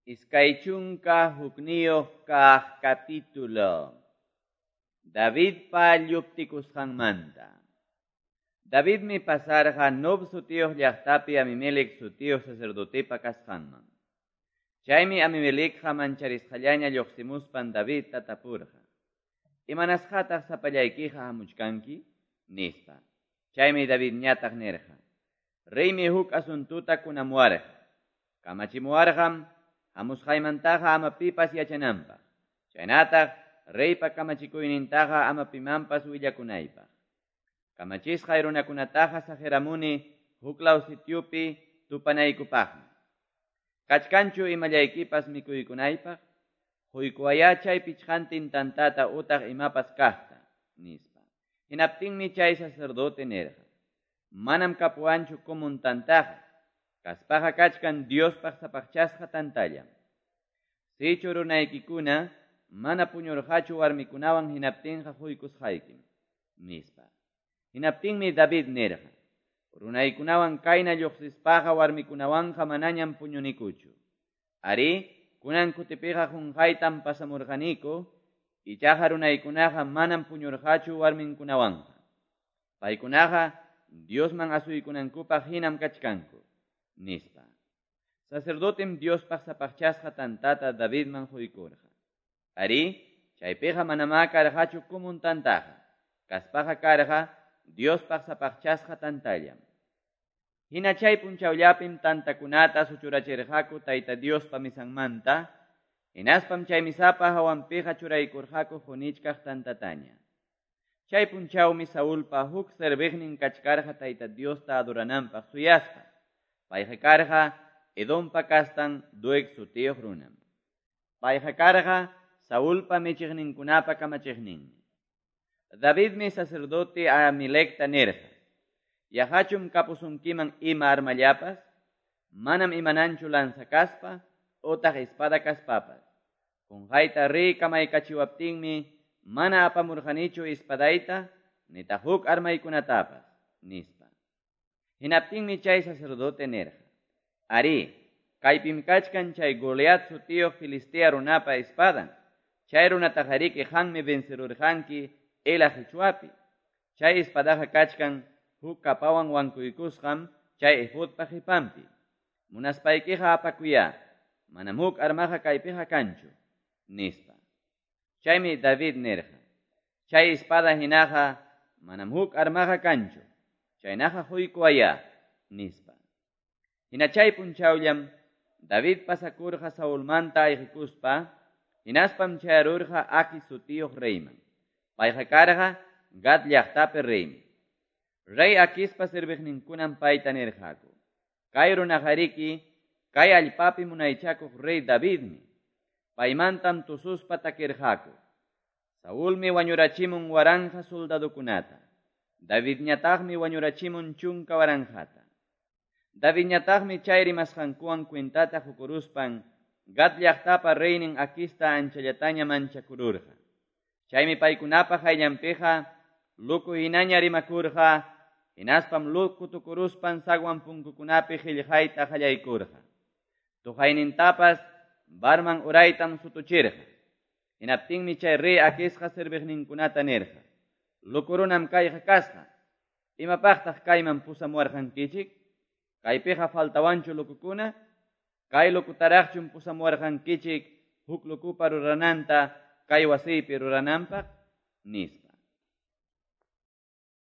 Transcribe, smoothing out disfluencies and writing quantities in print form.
21 kaq capítulo. Davidpa lluptikusqanmanta. Davidmi pasarqa Nob sutiyuq llaqtapi Abimelec sutiyuq sacerdotepa kasqanman. Chaymi Abimelecqa mancharisqallaña lluqsimuspan Davidta tapurqa. Imanasqataq sapallaykiqa hamuchkanki? Nispa. Chaymi Davidñataq nirqa. Reymi huk asuntuta kunamuwarqa. Kamachimuwarqam hamusqaymantaqa ama pipas yachananpaq. Chaynataq reypa kamachikuynintaqa ama pimanpas willakunaypaq. Kamachisqay runakunataqa saqiramuni huklaw sitiupi tupanaykupaqmi. Kachkanchu imallaykipas mikuykunaypaq? Huykuwayá chay pichqantin tantata utaq imapas kaqta, nispa. Hinaptinmi chay sacerdote nirqa. Manam kapuwanchu kumun tantaqa. Kaspaqa kachkan Diospaq sapaqchasqa tantallam. Sichu runaykikuna mana puñurqachu warmikunawan hinaptinqa huykusqaykim, nispa. Hinaptinmi David nirqa. Runaykunawan kayna lluqsispaqa warmikunawanqa manañam puñunikuchu. Ari, kunan kutipiqa qunqaytam pasamurqaniku, ichaqa runaykunaqa manam puñurqachu warminkunawanqa. Paykunaqa Diosman asuykunankupaq hinam kachkanku, nispa. Sacerdotem Diospaq sapaqchasqa tantata Davidman huykurqa. Ari, chaypiqa manamá karqachu kumun tantaqa. Kaspaqa karqa Diospaq sapaqchasqa tantallam. Hina chay punchawllapim tantakunata suchurachirqaku Tayta Diospa misanmanta, hinaspam chay misapa hawanpiqa churaykurqaku qunichkaq tantataña. Chay punchawmi Saulpa huk serviqnin kachkarqa Tayta Diosta adorananpaq suyaspa. Payqa karqa Edompa kastan Doeg sutiyuq runam. Payqa karqa Saulpa michiqninkunapa kamachiqninmi. Davidmi sacerdote Ahimelecta nirqa. Yaqachum kapusunkiman ima armallapas, manam imananchu lanza kaspa, utaq espada kaspapas. Qunqayta rey kamaykachiwaptinmi mana apamurqanichu espadayta, nitaq huk armaykunatapas, nispa. Hinaptinmi chay sacerdote nirqa. Ari, kaypim kachkan chay Goliat sutiyuq Filistea runapa espadan. Chay runataqariki qanmi vencerurqanki Ela qichwapi. Chay espadaqa kachkan huk kapawan wankuykusqam chay efodpa qipanpi. Munaspaykiqa apakuyá, manam huk armaqa kaypiqa kanchu, nispa. Chaymi David nirqa. Chay espada hinaqa manam huk armaqa kanchu. Chaynaqa huykuwayá, nispa. Hina chay punchawllam David pasakurqa Saulmanta ayqikuspa, hinaspam chayarurqa Aquis sutiyuq reyman. Payqa karqa Gat llaqtapi reymi. Rey Aquispa serviqninkunam payta nirqaku. Kay runaqariki kay allpapi munaychakuq rey Davidmi. Paymantam tususpa takirqaku. Saulmi wañurachimun waranqa soldadokunata. Davidñataqmi wañurachimun chunka waranqata. Davidñataqmi chay rimasqankuwan cuentata qukuruspan Gat llaqtapa reynin Aquista anchallataña manchakururqa. Chaymi paykunapa hayllanpiqa luku hinaña rimakurqa, hinaspam luku tukuruspan zaguan punkukunapi qillqayta qallaykurqa. Tuqaynintapas barman uraytam sutuchirqa. Hinaptinmi chay rey Aquisqa serviqninkunata nirqa. Lukurunam kayqa kasqa. Imapaqtaq kayman pusamuwarqankichik? Kaypiqa faltawanchu lukukuna? Kay lukutaraqchum pusamuwarqankichik huk lukupa rurananta kay wasiypi rurananpaq? Nispa.